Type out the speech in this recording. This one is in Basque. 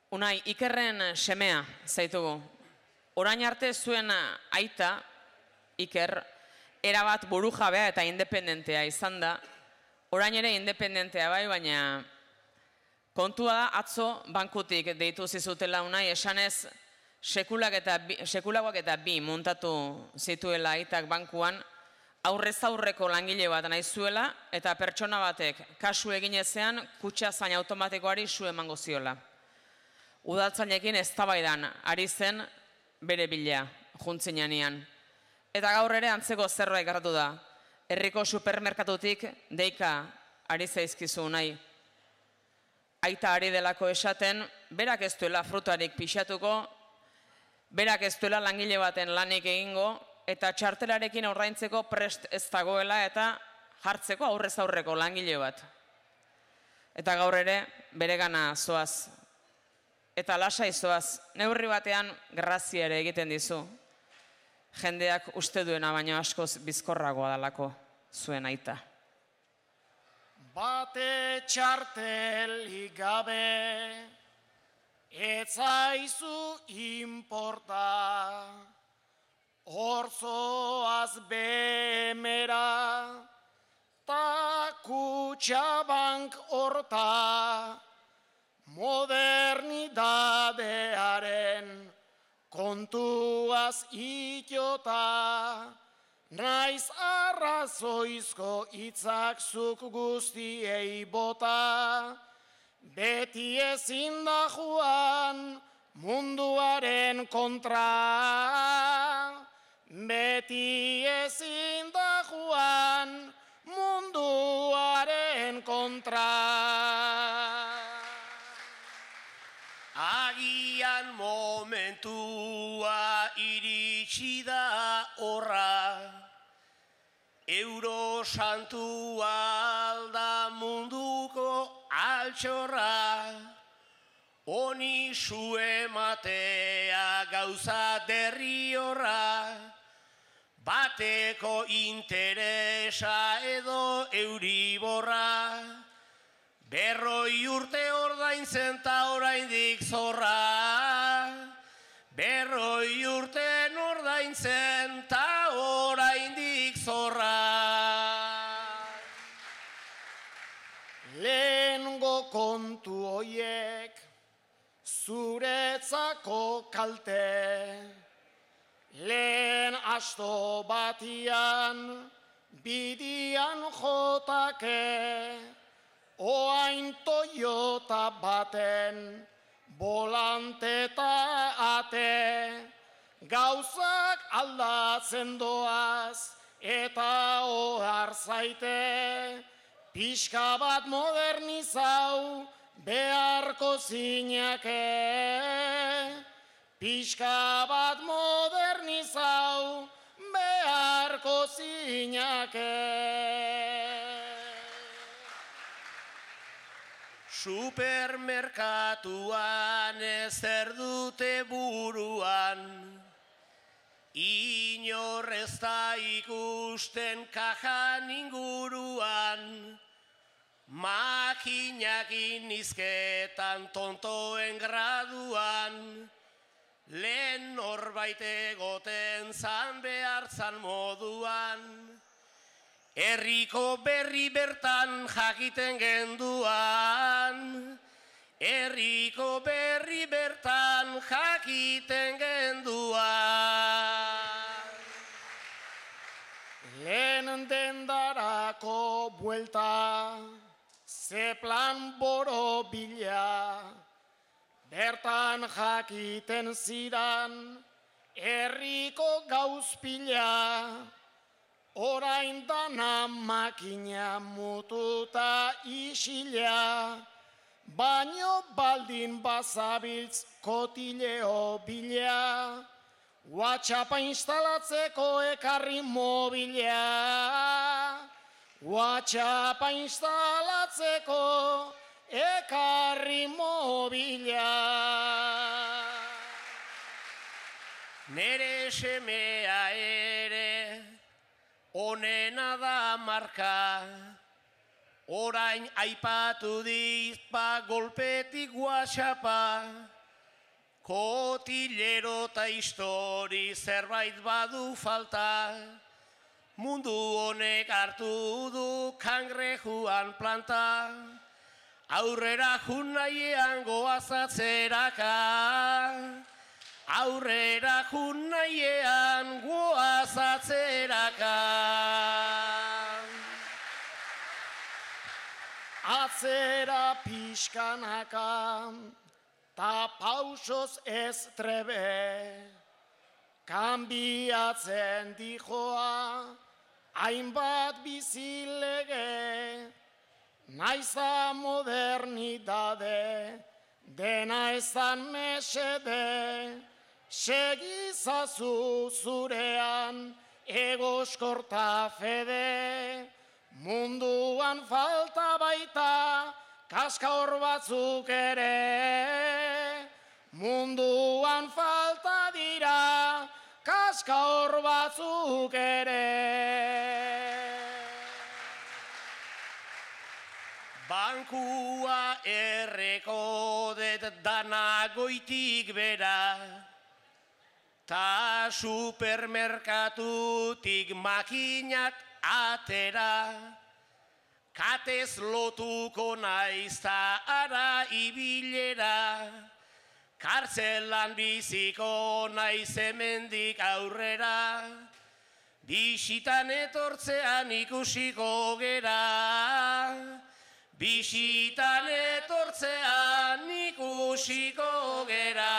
Unai, Ikerren semea zaitugu. Orain arte zuen aita, Iker, erabat burujabea eta independentea izan da. Orain ere independentea bai, baina kontua da atzo bankutik deitu zizutela Unai, esanez sekulagoak eta bi muntatu zituela aitak bankuan, aurrez aurreko langile bat nahi zuela eta pertsona batek kasu eginezean kutxa zain automatikoari su emango ziola. Udaltzainekin eztabaidan ari zen bere bila, juntzinean. Eta gaur ere antzeko zerbait gertatu da. Herriko supermerkatutik deika ari zaizkizu nahi. Aita ari delako esaten, berak ez duela frutarik pixatuko, berak ez duela langile baten lanik egingo, eta txartelarekin ordaintzeko prest ez dagoela eta jartzeko aurrez aurreko langile bat. Eta gaur ere beregana zoaz. Eta lasai zoaz, neurri batean grazia ere egiten dizu. Jendeak uste duena baino askoz bizkorragoa dalako zuen aita. Bate txartelik gabe, etzaizu inporta, horzoaz bemera, ta kutxabank horta, modernidadearen kontuaz itota, naiz arrazoizko hitzak zuk guztiei bota, beti ezin da joan munduaren kontra, beti ezin da joan munduaren kontra. Agian momentua iritsi da horra, euro santua alda munduko altxorra, honi su ematea gauza derri horra, bateko interesa edo euriborra, berroi urte ordaintzen ta oraindik zorra, berroi urte ordaintzen ta oraindik zorra. Lehengo kontu hoiek zuretzako kalte, lehen asto batian bidian jotake, oain Toyota baten volante eta ate, gauzak aldatzen doaz eta ohar zaite, pixka bat modernizau beharko zinake, pixka bat modernizau beharko zinake. Supermerkatuan ezer dute buruan, inor ez da ikusten kajan inguruan, makinakin izketan tontoen graduan, lehen norbait egoten zan behartzan moduan, herriko berri bertan jakiten genduan, herriko berri bertan jakiten genduan. Lehen dendarako buelta, ze plan borobila, bertan jakiten zidan, herriko gauzpila, orain dana makina mututa isila, baino baldin bazabiltz kotileo bila, WhatsAppa instalatzeko ekarri mobila, WhatsAppa instalatzeko ekarri mobila. Nere semea ere onena da marka, orain aipatu dit golpetik WhatsAppa, Kotillero eta histori zerbait badu falta, mundu honek hartu du kangrejuan planta, aurrera jun nahiean goazatzeraka, aurrera jun nahiean goazatzeraka. Atzera pixkanaka, ta pausoz ez trebe, kanbiatzen dijoa, hainbat bizilege, naiza modernidade, dena ezan mesede, segizazu zurean, egoskorta fede, munduan falta baita, kaska hor batzuk ere, munduan falta dira, kaska hor batzuk ere. Bankua erreko det dana goitik bera, ta supermerkatutik makinak atera, katez lotuko naiz ta ara ibilera, kartzelan biziko naiz hemendik aurrera, bisitan etortzean ikusiko gera, bisitan etortzean ikusiko gera.